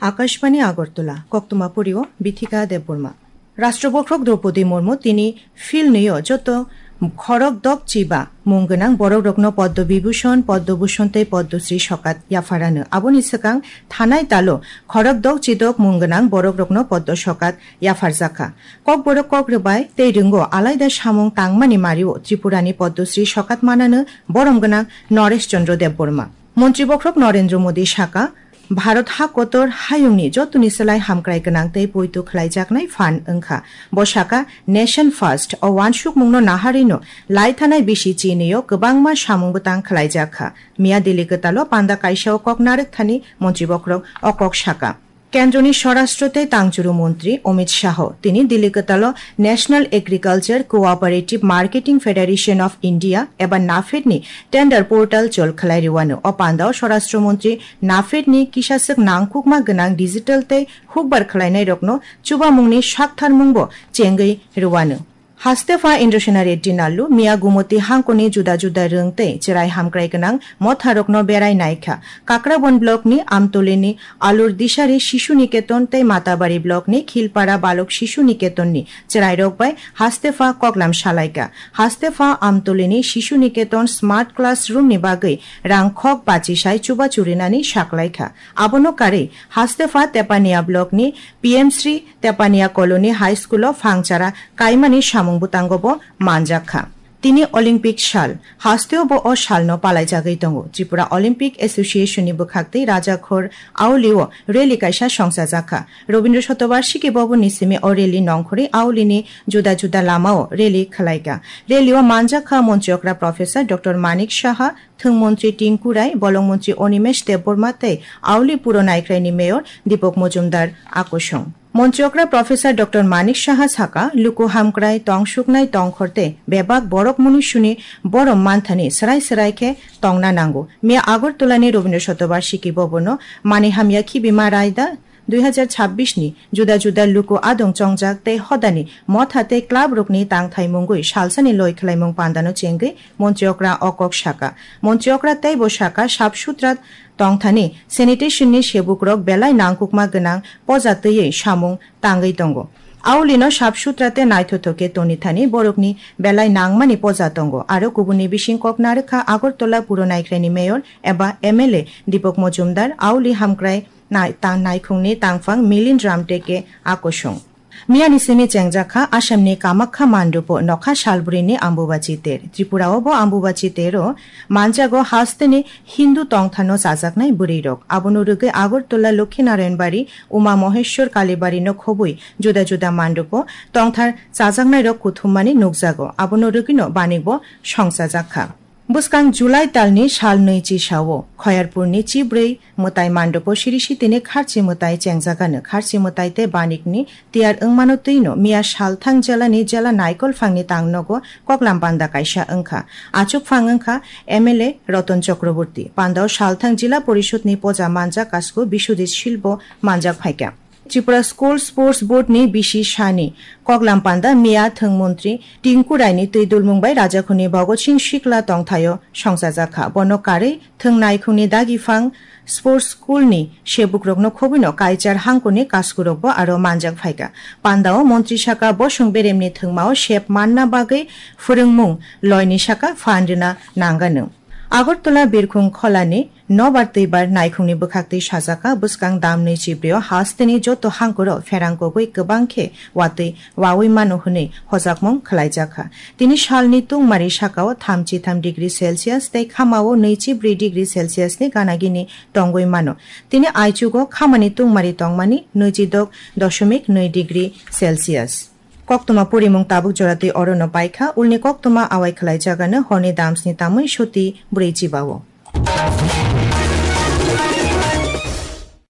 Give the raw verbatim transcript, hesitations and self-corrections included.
Akashbani Agartala, koktwma porio Bithika Debbarma. Rashtra Bokhorok Droupadi Murmu tini philnwio joto khorok dok chiba mung gwnang borokrokno Padma Vibhushan, Padma Bhushan tei Padma Shri sokat yapharano. Aboni swkang thanai talo khorok dok chidok mung gwnang borokrokno Padma sokat yapharjakha. Kokborok kok rwbai tei rwngo alaida samung tangmani mario Tripurani Padma Shri sokat manano borom gwnang Naresh Chandra Debbarma. Montri Bokhorok Narendra Modi saka, Bharat ha kotor hayungni jotoni slai hamkrai gwnang tei poito khlaijaknai phan wngkha. Bo saka, Nation First o uansukmungno naharino laithanai bisi chinio kwbangma samung bwtang khlaijakha. Miya Delhi kwtalo panda kaisao kok narwkthani Montri Bokhorok o kok saka. Kendroni Swarashtra tei Tangchuru Montri Amit Shah tini Delhi kwtalo National Agriculture Cooperative Marketing Federation of India eba NAFED ni tender portal chol khlai rwano. O pandao Swarashtra Montri NAFED ni kisaswk nangkukma gwnang digital tei hukbar khlainairokno chubamungni saktharmungbo chengwi rwano. Haste pha Indrasena Reddy Nallu miya Gumoti hangkoni juda juda rwng tei chwrai hamkrai gwnang motharokno berai naikha. Kakrabon block ni Amtoli ni Alur Dishari Shishu Niketon tei Matabari block ni Khilpara Balok Shishu Niketon ni chwrairok bai haste pha koklam salaikha. Haste pha Amtoli ni Shishu Niketon Smart Classroom ni bagwi rang khok bachisai chubachu rinani saklaikha. Abono karwi haste pha Tepania block ni P M Shri Tepania Colony High School o phangchara kaimani samung bwtango bo manjak kha. Tini Olympic sal, hasteo bo o salno palaijagwi tongo. Tripura Olympic Association ni bwkhaktwi Rajakhor Auli o rally kaisa songchajak kha. Rabindra Shatobarshiki Bhavan ni simi o rally nongkhorwi Auli ni juda juda lama o rally khwlaikha. Rally o manjak kha Montri okra Professor Doctor Manik Saha, Thwng Montri Tinku Rai, Bolong Montri Animesh Debbarma tei Auli Puro Naikhrai ni Mayor Deepak Majumdar akusung. Montri okra Professor Doctor Manik Saha saka, luku hamkrai, tongsuknai tongkhor tei bebak borok munisuni borom manthani swrai swrai khe tongna nango. Miya Agartala ni Rabindra Shatobarshiki Bhavan o Mani Hamya Khibima Raida dui hazar chabbish ni juda juda luku adong chongjak tei hodani motha tei club rokni tangthai mungwi salsani loi khwlaimung pandano chengwi Montri okra o kok saka. Montri okra tei bo saka, sap sutra tongthani sanitation ni sebukrok belai nangkukma gwnang poja twiwi samung tangwi tongo. Auli no sap sutra tei naithothok khe tonithani borokni belai nangmani poja tongo. Aro kubuni bising kok narwkha Agartala Puro Naikhrai ni Mayor eba M L A Deepak Majumdar, Auli hamkrai nai-, ta-, naikhungni tangphang Milind Ramteke akusung. Miyani simi chengjak kha Assamni Kamakha mandupo nokha salbrini Ambubachi ter. Tripura o bo Ambubachi tero manjago hasteni Hindu tongthano chajaknai bwrwirok. Abono rwgwi Agartala Lokhinarayan Bari, Uma Moheshwar Kalibari no khobwi juda juda mandupo tongthar chajaknairok kuthummani nukjago. Abono rwgwino banikbo songchajak kha. Bwskang July talni sal nwi chisao Khoyarpurni chibrwi mwtai mandupo siri sitini kharchi mwtai chengjagano. Kharchi mwtai tei banikni tiyar wngmano twino miya salthang jelani jela naikol phangni tangnogo koklam panda kaisa wngkha. Achuk phang wngkha M L A Ratan Chakraborty. Pandao salthang Jila Porishadni poja manjak kasku Biswajit Silbo manjak phaikha. Tripura School Sports Board ni bisi sani koklam panda miya thwng montri Tinku Raini twi dulmung bai Rajakhuni Bhagat Singh Sikla tongthaio songchajak kha. Bono karwi thwng naikhungni dagiphang sports school ni sebukrokno khobwino kaichar hangkuni kaskurokbo aro manjak phaikha. Pandao montri saka bosong beremni thwngmao sep manna bagwi phwrwngmung loini saka phan rwna nangano. Agartala Birkhung Kholani nobar twibar naikhungni bwkhaktwi sajak kha, bwskang damni chibrio hasteni joto hangkuro pherang kogwi kwbang khe watwi wawi mano hwnwi hojakmung khwlaijak kha. Tini salni tungmari sakao thamchi tham degree Celsius tei khamao nwichi bri degree Celsius ni ganagini tongwi mano. Tini aichugo khamani tungmari tongmani nwichi dok doshomik nwi degree Celsius. Koktwma purimung tabuk joratwi orono paikha, ulni koktwma awai khwlaijagano horni damsni tamwi suti brwi chibao.